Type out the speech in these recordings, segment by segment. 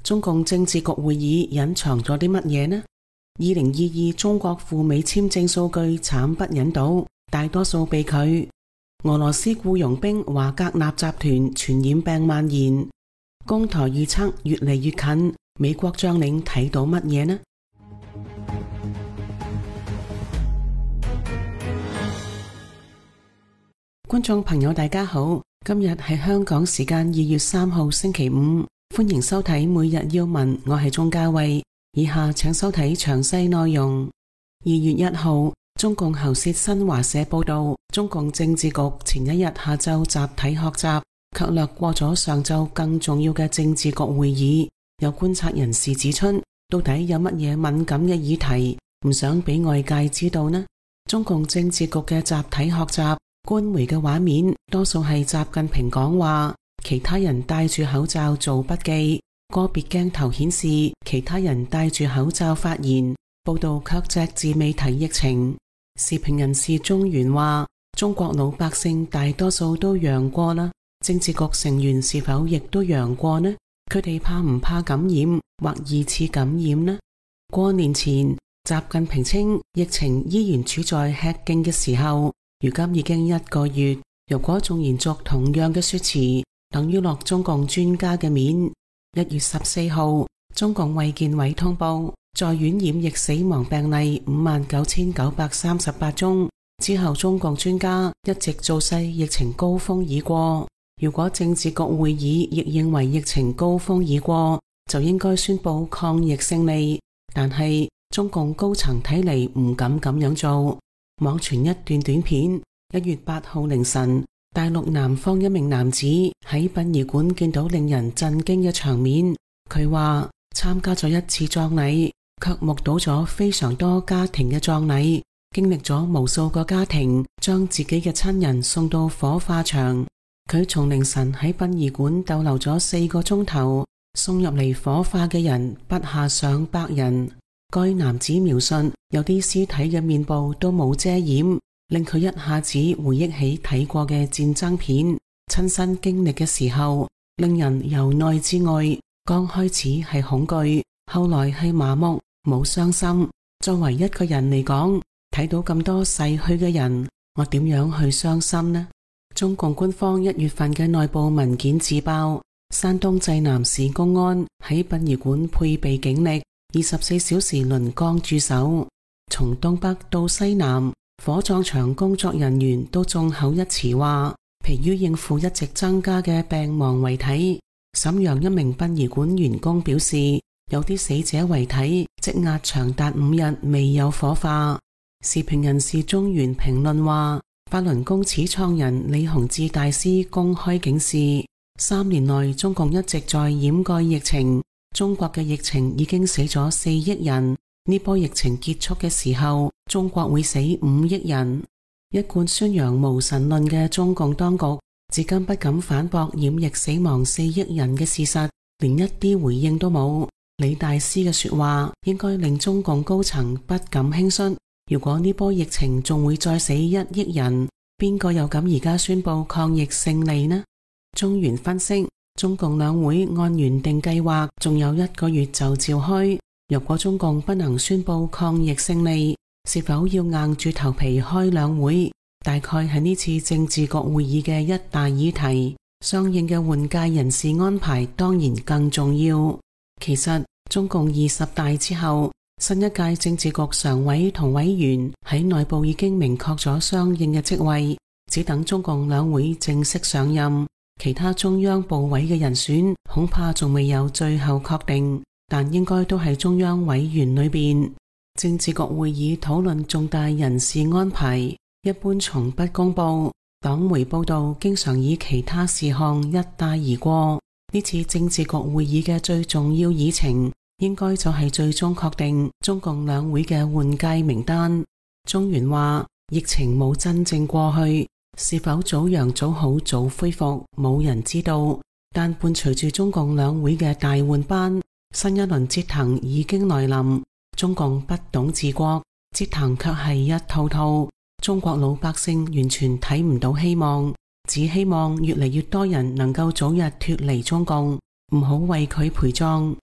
中共政治局會議隱藏咗啲乜嘢呢？2022中國赴美簽證數據慘不忍睹，大多數被拒。俄羅斯僱傭兵華格納集團傳染病蔓延，攻台預測越嚟越近，美國將領睇到乜嘢呢？觀眾朋友大家好，今日係香港時間2月3號星期五，歡迎收睇每日要聞，我係鍾嘉慧。以下請收睇詳細內容。2月1號，中共喉舌新華社報道，中共政治局前一日下晝集體學習，卻略過咗上晝更重要嘅政治局會議。有觀察人士指出，到底有乜嘢敏感嘅議題唔想俾外界知道呢？中共政治局嘅集體學習，官媒嘅畫面多數係習近平講話，其他人戴住口罩做筆記，個別鏡頭顯示其他人戴住口罩發言，報道卻隻字未提疫情。時評人士中原話，中國老百姓大多數都陽過啦，政治局成員是否亦都陽過呢？佢哋怕唔怕感染或二次感染呢？過年前，習近平稱疫情依然處在吃勁嘅時候，如今已經1個月，如果仲延續同樣嘅說辭，等於落中共專家嘅面。1月14號，中共衛健委通報，在院染疫死亡病例59,938宗，之後中共專家一直造勢疫情高峰已過。如果政治局會議亦認為疫情高峰已過，就應該宣布抗疫勝利。但係中共高層睇嚟唔敢咁樣做。網傳一段短片，1月8號凌晨，大陸南方一名男子喺殯儀館見到令人震驚嘅場面。佢話參加咗一次葬禮，卻目睹咗非常多家庭嘅葬禮，經歷咗無數個家庭將自己嘅親人送到火化場。佢從凌晨喺殯儀館逗留咗4個鐘頭，送入嚟火化嘅人不下上百人。該男子描述，有啲屍體嘅面部都冇遮掩，令佢一下子回憶起睇過嘅戰爭片，親身經歷嘅時候，令人由內至外，剛開始係恐懼，後來係麻木，冇傷心。作為一個人嚟講，睇到咁多逝去嘅人，我點樣去傷心呢？中共官方1月份嘅內部文件自爆，山東濟南市公安喺殯儀館配備警力，24小時輪崗駐守，從東北到西南，火葬場工作人員都眾口一詞話，疲於應付一直增加嘅病亡遺體。瀋陽一名殯儀館員工表示，有啲死者遺體積壓長達5日未有火化。時評人士中原評論話，法輪功始創人李洪志大師公開警示，3年內中共一直在掩蓋疫情，中國嘅疫情已經死咗4億人，呢波疫情結束嘅時候，中國會死5億人。一貫宣揚無神論嘅中共當局，至今不敢反駁染疫死亡4億人嘅事實，連一啲回應都冇。李大師嘅說話應該令中共高層不敢輕率。如果呢波疫情仲會再死1億人，邊個又敢而家宣布抗疫勝利呢？中原分析，中共兩會按原定計劃仲有1個月就召開，如果中共不能宣布抗疫勝利，是否要硬住頭皮開兩會，大概係呢次政治局會議嘅一大議題。相應嘅換屆人事安排當然更重要。其實中共20大之後，新一屆政治局常委同委員喺內部已經明確咗相應嘅職位，只等中共兩會正式上任。其他中央部委嘅人選恐怕仲未有最後確定，但應該都係中央委員裏邊。政治局會議討論重大人事安排，一般從不公布。黨媒報道經常以其他事項一帶而過。呢次政治局會議嘅最重要議程，應該就係最終確定中共兩會嘅換屆名單。中原話，疫情冇真正過去，是否早陽早好早恢復，冇人知道。但伴隨住中共兩會嘅大換班，新一輪折騰已經來臨。中共不懂治國，折騰卻係一套套。中國老百姓完全睇唔到希望，只希望越嚟越多人能夠早日脫離中共，唔好為佢陪葬。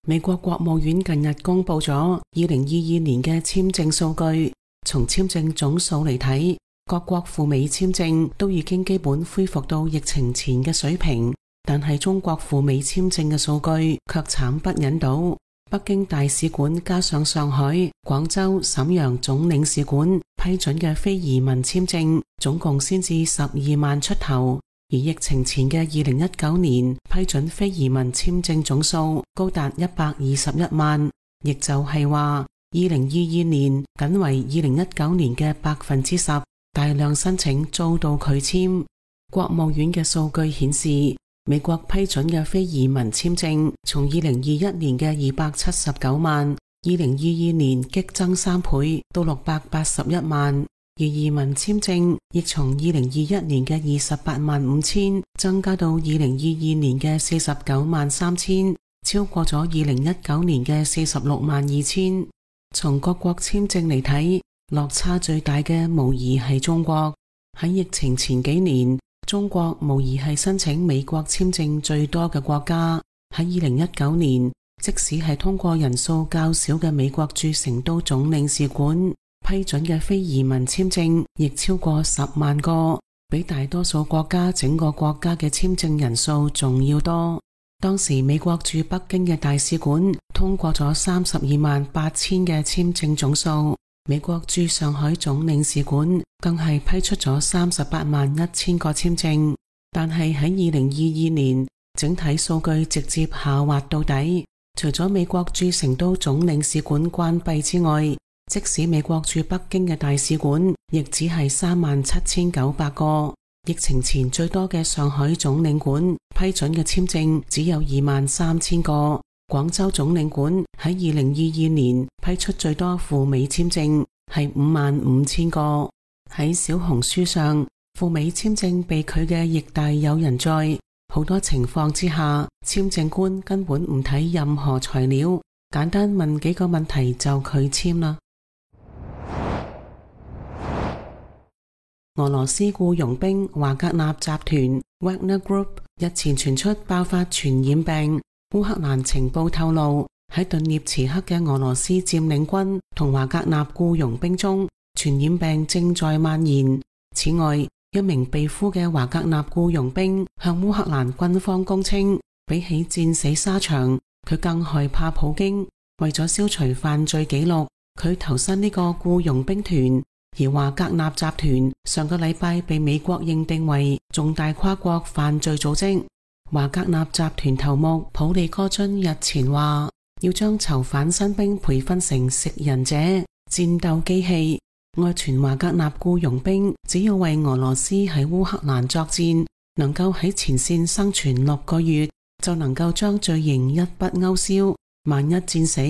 美國國務院近日公布咗2022年嘅簽證數據，從簽證總數嚟睇，各國赴美簽證都已經基本恢復到疫情前嘅水平，但係中國赴美簽證嘅數據卻慘不忍睹。北京大使館加上上海、廣州、瀋陽總領事館批准嘅非移民簽證總共先至12萬出頭，而疫情前嘅2019年批准非移民簽證總數高達121萬，亦就係話2022年僅為2019年嘅10%，大量申請遭到拒簽。國務院嘅數據顯示，美國批准嘅非移民簽證從2021年嘅279萬，2022年激增3倍到681萬，而移民簽證亦從2021年嘅28萬5千增加到2022年嘅49萬3千，超過咗2019年嘅46萬2千。從各國簽證嚟睇，落差最大嘅無疑係中國。喺疫情前幾年，中國無疑係申請美國簽證最多嘅國家。喺2019年，即使係通過人數較少嘅美國駐成都總領事館批准嘅非移民簽證亦超過10萬個，比大多數國家整個國家嘅簽證人數仲要多。當時美國駐北京嘅大使館通過咗32萬8千嘅簽證總數，美國駐上海總領事館更係批出咗38萬1千個簽證，但係喺2022年，整體數據直接下滑到底。除咗美國駐成都總領事館關閉之外，即使美國駐北京嘅大使館亦只係3萬7900個。疫情前最多嘅上海總領館批准嘅簽證只有2萬3千個。廣州總領館喺2022年批出最多赴美簽證係5萬5千個。喺小紅書上，赴美簽證被拒嘅亦大有人在。好多情況之下，簽證官根本唔睇任何材料，簡單問幾個問題就拒簽啦。俄羅斯僱傭兵華格納集團 Wagner Group 日前傳出爆發傳染病。烏克蘭情報透露，喺頓涅茨克嘅俄羅斯佔領軍同華格納僱傭兵中，傳染病正在蔓延。此外，一名被俘嘅華格納僱傭兵向烏克蘭軍方供稱，比起戰死沙場，佢更害怕普京。為咗消除犯罪記錄，佢投身呢個僱傭兵團。而華格納集團上個禮拜被美國認定為重大跨國犯罪組織。華格納集團頭目普利戈津日前話，要將囚犯新兵培訓成食人者、戰鬥機器。外傳華格納僱傭兵只要為俄羅斯喺烏克蘭作戰，能夠喺前線生存6個月，就能夠將罪刑一筆勾銷。萬一戰死，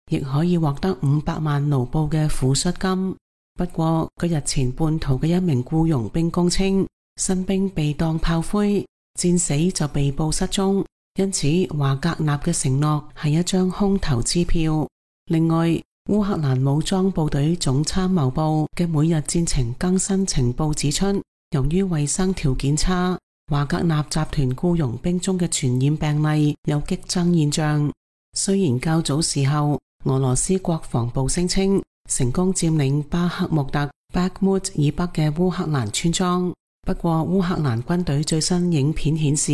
亦可以獲得500萬盧布嘅撫恤金。不過，佢日前叛逃嘅一名僱傭兵供稱，新兵被當炮灰，戰死就被捕失蹤，因此華格納嘅承諾係一張空頭支票。另外，烏克蘭武裝部隊總參謀部嘅每日戰情更新情報指出，由於衛生條件差，華格納集團僱傭兵中嘅傳染病例有激增現象。雖然較早時候，俄羅斯國防部聲稱成功佔領巴克穆特 Bakhmut 以北嘅烏克蘭村莊，不過烏克蘭軍隊最新影片顯示，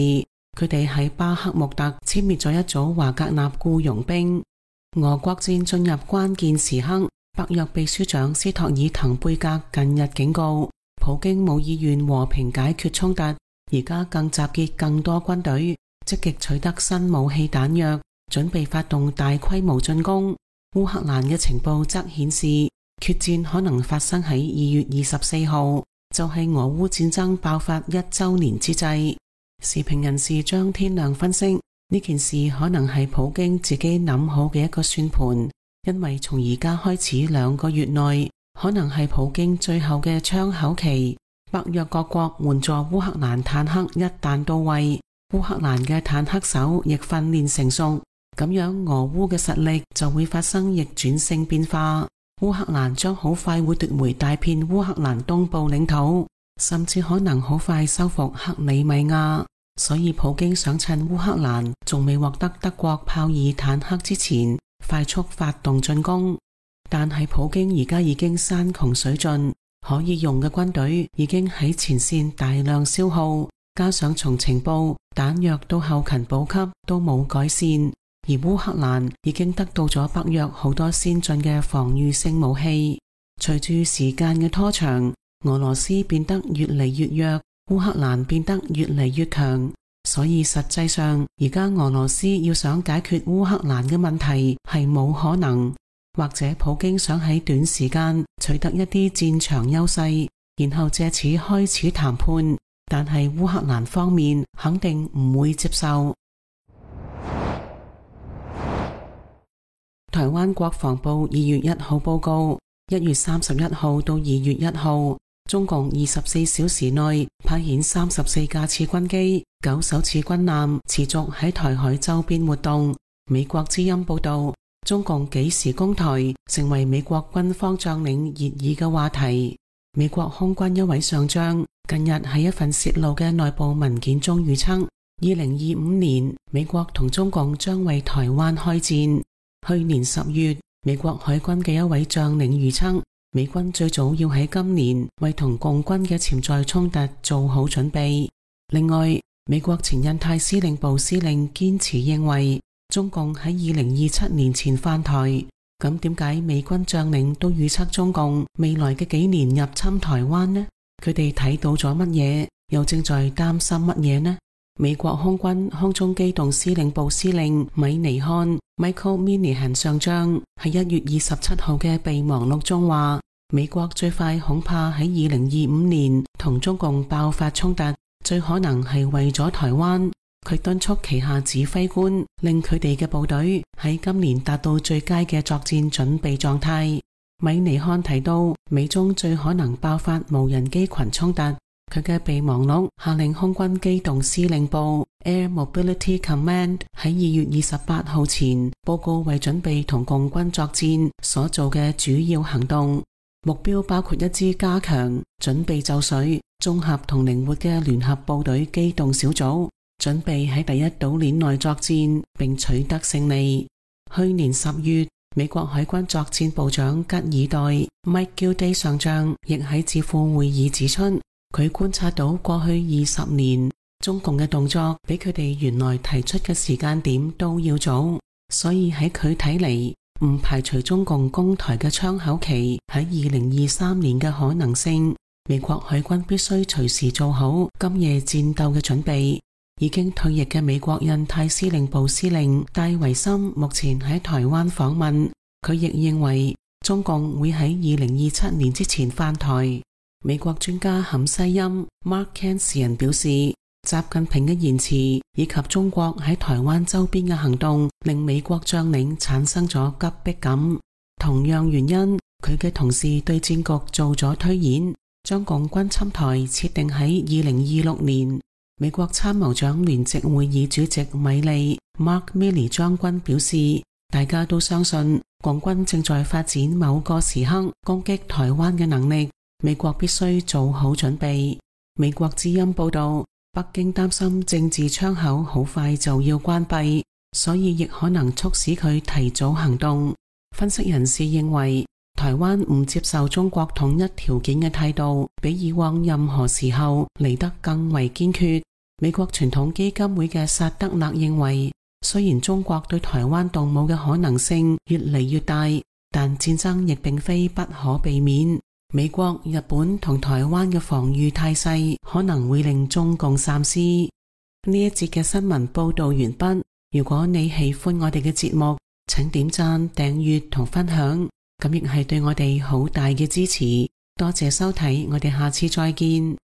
佢哋喺巴克穆特殲滅咗一組華格納僱傭兵。俄國戰進入關鍵時刻，北約秘書長斯托爾滕貝格近日警告，普京冇意願和平解決衝突，而家更集結更多軍隊，積極取得新武器彈藥，準備發動大規模進攻。烏克蘭嘅情報則顯示，決戰可能發生喺2月24號，就係俄烏戰爭爆發1週年之際。時評人士張天亮分析，呢件事可能係普京自己諗好嘅一個算盤，因為從而家開始2個月內，可能係普京最後嘅窗口期。北約各國援助烏克蘭坦克一旦到位，烏克蘭嘅坦克手亦訓練成熟，咁樣俄烏嘅實力就會發生逆轉性變化。烏克蘭將好快會奪回大片烏克蘭東部領土，甚至可能好快收復克里米亞。所以普京想趁烏克蘭仲未獲得德國豹二坦克之前，快速發動進攻。但係普京而家已經山窮水盡，可以用嘅軍隊已經喺前線大量消耗，加上從情報、彈藥到後勤補給都冇改善，而烏克蘭已經得到咗北約好多先進嘅防禦性武器。隨住時間嘅拖長，俄羅斯變得越嚟越弱，烏克蘭變得越嚟越強，所以實際上而家俄羅斯要想解決烏克蘭嘅問題係冇可能，或者普京想喺短時間取得一啲戰場優勢，然後借此開始談判，但係烏克蘭方面肯定唔會接受。台灣國防部2月1號報告，1月31號到2月1號，中共24小時內派遣34架次軍機、9艘次軍艦持續喺台海周邊活動。美國之音報道，中共幾時攻台成為美國軍方將領熱議嘅話題。美國空軍一位上將近日喺一份洩露嘅內部文件中預測，2025年美國同中共將為台灣開戰。去年10月，美國海軍嘅一位將領預測，美軍最早要喺今年為同共軍嘅潛在衝突做好準備。另外，美國前印太司令部司令堅持認為，中共喺2027年前返台。咁點解美軍將領都預測中共未來嘅幾年入侵台灣呢？佢哋睇到咗乜嘢，又正在擔心乜嘢呢？美國空軍空中機動司令部司令米尼漢 Michael Minihan 上將喺1月27號嘅備忘錄中話，美國最快恐怕喺2025年同中共爆發衝突，最可能係為咗台灣。佢敦促旗下指揮官令佢哋嘅部隊喺今年達到最佳嘅作戰準備狀態。米尼漢提到，美中最可能爆發無人機群衝突。佢嘅備忘錄下令空軍機動司令部 Air Mobility Command 喺2月28號前報告為準備同共軍作戰所做嘅主要行動，目標包括一支加強、準備就緒、綜合同靈活嘅聯合部隊機動小組，準備喺第一島鏈內作戰並取得勝利。去年10月，美國海軍作戰部長吉爾代 Mike Gilday 上將亦喺智庫會議指出，佢觀察到過去20年中共嘅動作比佢哋原來提出嘅時間點都要早，所以喺佢睇嚟，唔排除中共攻台嘅窗口期喺2023年嘅可能性。美國海軍必須隨時做好今夜戰鬥嘅準備。已經退役嘅美國印太司令部司令戴維森目前喺台灣訪問，佢亦認為中共會喺2027年之前返台。美國專家坎西欽 Mark Kansian 表示，習近平嘅言辭以及中國喺台灣周邊嘅行動令美國將領產生咗急迫感。同樣原因，佢嘅同事對戰局做咗推演，將共軍侵台設定喺2026年。美國參謀長聯席會議主席米利 Mark Milley 將軍表示，大家都相信共軍正在發展某個時刻攻擊台灣嘅能力，美國必須做好準備。美國之音報道，北京擔心政治窗口好快就要關閉，所以亦可能促使佢提早行動。分析人士認為，台灣唔接受中國統一條件嘅態度，比以往任何時候嚟得更為堅決。美國傳統基金會嘅薩德勒認為，雖然中國對台灣動武嘅可能性越嚟越大，但戰爭亦並非不可避免。美國、日本同台灣嘅防禦態勢可能會令中共三思。呢一節嘅新聞報道完畢。如果你喜歡我哋嘅節目，請點讚、訂閱同分享，咁亦係對我哋好大嘅支持。多謝收睇，我哋下次再見。